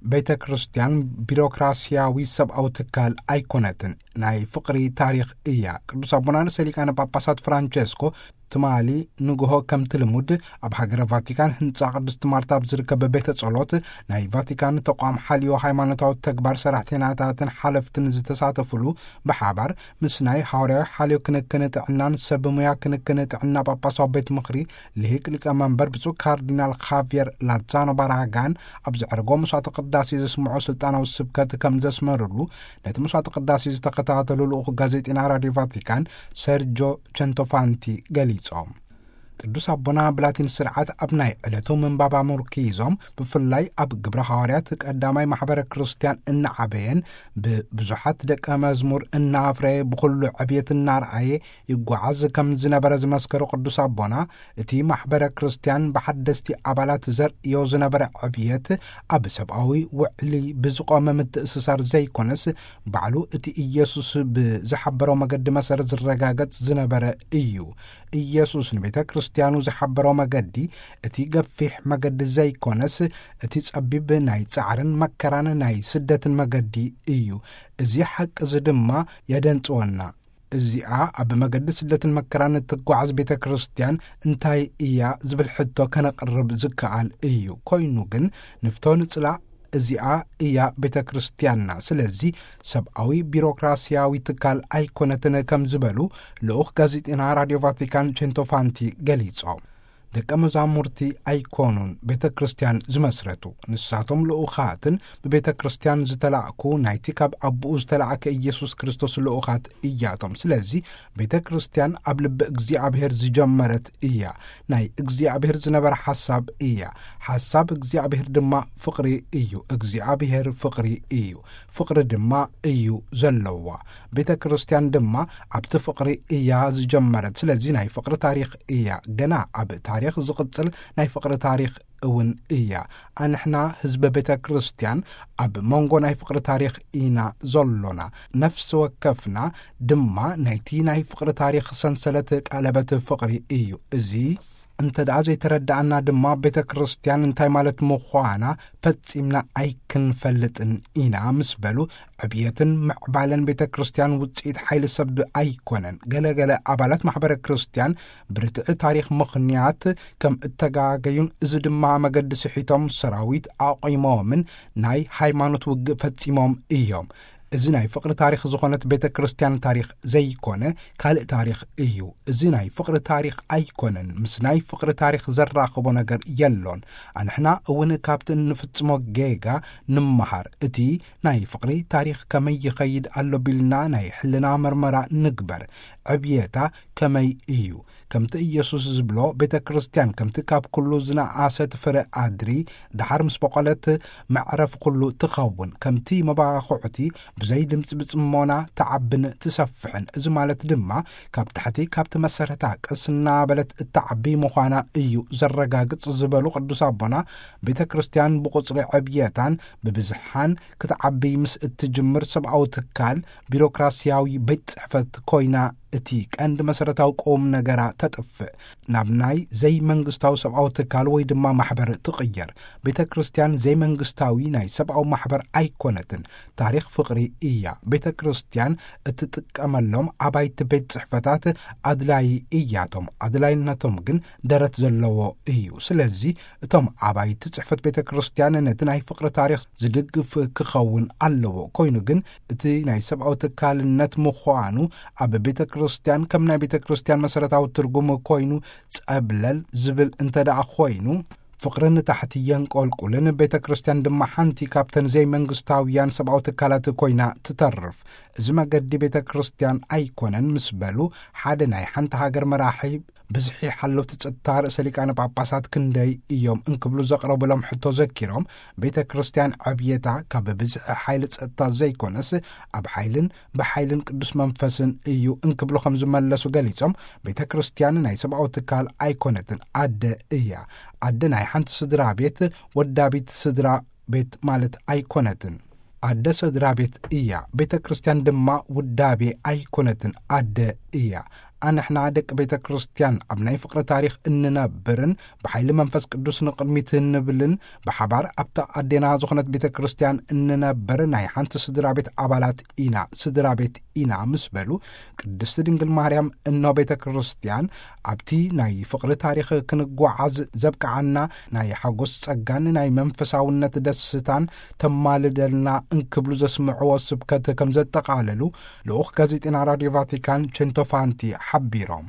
ቤተ ክርስቲያን ቢሮክራሲያዊ ሰብኣዊ ትካል ኣይኮነትን፣ ናይ ፍቕሪ ታሪኽ እያ። ቅዱስ ኣቦና ርእሰ ሊቃነ ጳጳሳት ፍራንቸስኮ ትማሊ ንግሆ ከምቲ ልሙድ ኣብ ሃገረ ቫቲካን ህንጻ ቅድስት ማርታ ኣብ ዝርከብ ቤተ ጸሎት ናይ ቫቲካን ተቋም ሓልዮ ሃይማኖታዊ ተግባር ሰራሕተኛታትን ሓለፍትን ዝተሳተፉሉ ብሓባር ምስ ናይ ሃዋርያዊ ሓልዮ ክንክን ጥዕናን ሰብ ሙያ ክንክን ጥዕና ጳጳሳዊ ቤት ምኽሪ ልሂቅ ሊቀ መንበር ብፁዕ ካርዲናል ኻቪየር ላዛኖ ባራጋን ኣብ ዘዕረጎ መስዋዕተ ቅዳሴ ዘስምዖ ስልጣናዊ ስብከት ከም ዘስመርሉ ነቲ መስዋዕተ ቅዳሴ ዝተኸታተሉ ልኡኽ ጋዜጠኛ ራድዮ ቫቲካን ሰርጆ ቸንቶፋንቲ ገሊጾም። ቅዱስ ኣቦና ብላቲን ስርዓት ኣብ ናይ ዕለቱ ምንባብ ኣመርኪዞም፣ ብፍላይ ኣብ ግብረ ሃዋርያት ቀዳማይ ማሕበረ ክርስቲያን እናዓበየን ብብዙሓት ደቀ መዝሙር እናፍረየ ብኹሉ ዕብየት እናርኣየ ይጓዓዝ ከም ዝነበረ ዝመስከሩ ቅዱስ ኣቦና፣ እቲ ማሕበረ ክርስቲያን ብሓደስቲ ኣባላት ዘርእዮ ዝነበረ ዕብየት ኣብ ሰብኣዊ ውዕሊ ብዝቖመ ምትእስሳር ዘይኮነስ፣ ባዕሉ እቲ ኢየሱስ ብዝሓበሮ መገዲ መሰረት ዝረጋገጽ ዝነበረ እዩ። ኢየሱስ ንቤተ ክርስቲያኑ ዝሓበሮ መገዲ፣ እቲ ገፊሕ መገዲ ዘይኮነስ፣ እቲ ጸቢብ ናይ ጻዕርን መከራን ናይ ስደትን መገዲ እዩ። እዚ ሓቂ እዚ ድማ የደንጽወና። እዚኣ ኣብ መገዲ ስደትን መከራን እትጓዓዝ ቤተ ክርስቲያን እንታይ እያ ዝብል ሕቶ ከነቕርብ ዝከኣል እዩ። ኮይኑ ግን ንፍቶ ንጽላእ እዚኣ እያ ቤተ ክርስቲያንና። ስለዚ ሰብኣዊ ቢሮክራሲያዊ ትካል ኣይኮነትን ከም ዝበሉ ልኡኽ ጋዜጠና ራድዮ ቫቲካን ቼንቶፋንቲ ገሊጾም። ደቀ መዛሙርቲ ኣይኮኑን ቤተ ክርስቲያን ዝመስረቱ። ንሳቶም ልኡኻትን ብቤተ ክርስቲያን ዝተላእኩ ናይቲ ካብ ኣቦኡ ዝተላእከ ኢየሱስ ክርስቶስ ልኡኻት እያቶም። ስለዚ ቤተ ክርስቲያን ኣብ ልቢ እግዚኣብሔር ዝጀመረት እያ። ናይ እግዚኣብሔር ዝነበረ ሓሳብ እያ። ሓሳብ እግዚኣብሔር ድማ ፍቕሪ እዩ። እግዚኣብሔር ፍቕሪ እዩ። ፍቕሪ ድማ እዩ ዘለዋ። ቤተ ክርስቲያን ድማ ኣብቲ ፍቕሪ እያ ዝጀመረት። ስለዚ ናይ ፍቕሪ ታሪኽ እያ። ገና ኣብ ታሪኽ ዝቕጽል ናይ ፍቕሪ ታሪኽ እውን እያ። ኣንሕና ህዝበ ቤተ ክርስቲያን ኣብ መንጎ ናይ ፍቕሪ ታሪኽ ኢና ዘሎና። ነፍሲ ወከፍና ድማ ናይቲ ናይ ፍቕሪ ታሪኽ ሰንሰለት ቀለበት ፍቕሪ እዩ። እዚ እንተ ደኣ ዘይተረዳእና ድማ ቤተ ክርስቲያን እንታይ ማለት ምዃና ፈጺምና ኣይክንፈልጥን ኢና ምስ በሉ፣ ዕብየትን ምዕባለን ቤተ ክርስቲያን ውጽኢት ሓይሊ ሰብ ኣይኮነን። ገለ ገለ ኣባላት ማሕበረ ክርስቲያን ብርትዒ ታሪኽ ምኽንያት ከም እተጋገዩን፣ እዚ ድማ መገዲ ስሒቶም ሰራዊት ኣቑሞምን ናይ ሃይማኖት ውግእ ፈጺሞም እዮም። እዚ ናይ ፍቕሪ ታሪኽ ዝኾነት ቤተ ክርስቲያን ታሪኽ ዘይኮነ ካልእ ታሪኽ እዩ። እዚ ናይ ፍቕሪ ታሪኽ ኣይኮነን። ምስ ናይ ፍቕሪ ታሪኽ ዘራኽቦ ነገር የሎን። ኣንሕና እውን ካብቲ እንፍጽሞ ጌጋ ንምሃር። እቲ ናይ ፍቕሪ ታሪኽ ከመይ ይኸይድ ኣሎ ቢልና ናይ ሕልና መርመራ ንግበር። ዕብየታ ከመይ እዩ? ከምቲ ኢየሱስ ዝብሎ፣ ቤተ ክርስቲያን ከምቲ ካብ ኩሉ ዝነኣሰት ፍረ ኣድሪ፣ ደሓር ምስ በቖለት መዕረፍ ኩሉ ትኸውን። ከምቲ መባኹዕቲ ብዘይ ድምጺ ብጽሞና ትዓብን ትሰፍሕን። እዚ ማለት ድማ ካብ ታሕቲ ካብቲ መሰረታ ቀስ እናበለት እትዓቢ ምዃና እዩ ዘረጋግጽ ዝበሉ ቅዱስ ኣቦና፣ ቤተ ክርስቲያን ብቁጽሪ ዕብየታን ብብዝሓን ክትዓቢ ምስ እትጅምር ሰብኣዊ ትካል ቢሮክራሲያዊ ቤት ጽሕፈት ኮይና እቲ ቀንዲ መሰረታዊ ቁም ነገራ ተጥፍእ። ናብ ናይ ዘይመንግስታዊ ሰብኣዊ ትካል ወይ ድማ ማሕበር ትቕየር። ቤተ ክርስቲያን ዘይመንግስታዊ ናይ ሰብኣዊ ማሕበር ኣይኮነትን። ታሪኽ ፍቕሪ እያ። ቤተ ክርስቲያን እትጥቀመሎም ኣባይቲ ቤት ጽሕፈታት ኣድላይ እያቶም። ኣድላይነቶም ግን ደረት ዘለዎ እዩ። ስለዚ እቶም ኣባይቲ ጽሕፈት ቤተ ክርስቲያን ነቲ ናይ ፍቕሪ ታሪኽ ዝድግፍ ክኸውን ኣለዎ። ኮይኑ ግን እቲ ናይ ሰብኣዊ ትካልነት ምዃኑ ኣብ ቤተ ክርስቲያን ከም ናይ ቤተ ክርስቲያን መሰረታዊ ትርጉም ኮይኑ ጸብለል ዝብል እንተ ደኣ ኮይኑ፣ ፍቕሪ ንታሕቲ የንቆልቁልን ቤተ ክርስቲያን ድማ ሓንቲ ካብተን ዘይመንግስታውያን ሰብኣዊ ትካላት ኮይና ትተርፍ። እዚ መገዲ ቤተ ክርስቲያን ኣይኮነን ምስ በሉ፣ ሓደ ናይ ሓንቲ ሃገር መራሒ ብዝሒ ሓለውቲ ጸጥታ ርእሰ ሊቃነ ጳጳሳት ክንደይ እዮም እንክብሉ ዘቕረቡሎም ሕቶ ዘኪሮም፣ ቤተ ክርስቲያን ዕብየታ ካብ ብዝሒ ሓይሊ ጸጥታ ዘይኮነስ ኣብ ሓይልን ብሓይልን ቅዱስ መንፈስን እዩ እንክብሉ ከም ዝመለሱ ገሊጾም፣ ቤተ ክርስቲያን ናይ ሰብኣዊ ትካል ኣይኮነትን፣ ኣደ እያ። ኣደ ናይ ሓንቲ ስድራ ቤት ወዳቢት ስድራ ቤት ማለት ኣይኮነትን። ኣደ ስድራ ቤት እያ። ቤተ ክርስቲያን ድማ ውዳቤ ኣይኮነትን፣ ኣደ እያ። ኣንሕና ደቂ ቤተ ክርስቲያን ኣብ ናይ ፍቕሪ ታሪኽ እንነብርን ብሓይሊ መንፈስ ቅዱስ ንቕድሚት እንብልን ብሓባር ኣብታ ኣዴና ዝኾነት ቤተ ክርስቲያን እንነብር ናይ ሓንቲ ስድራ ቤት ኣባላት ኢና፣ ስድራ ቤት ኢና ምስ በሉ፣ ቅድስቲ ድንግል ማርያም እኖ ቤተ ክርስቲያን ኣብቲ ናይ ፍቕሪ ታሪኽ ክንጓዓዝ ዘብቅዓና ናይ ሓጎስ ጸጋን ናይ መንፈሳውነት ደስታን ተማልደልና እንክብሉ ዘስምዕዎ ስብከት ከም ዘጠቓለሉ ልኡኽ ጋዜጤና ራዲዮ ቫቲካን ቸንቶፋንቲ ሓቢሮም።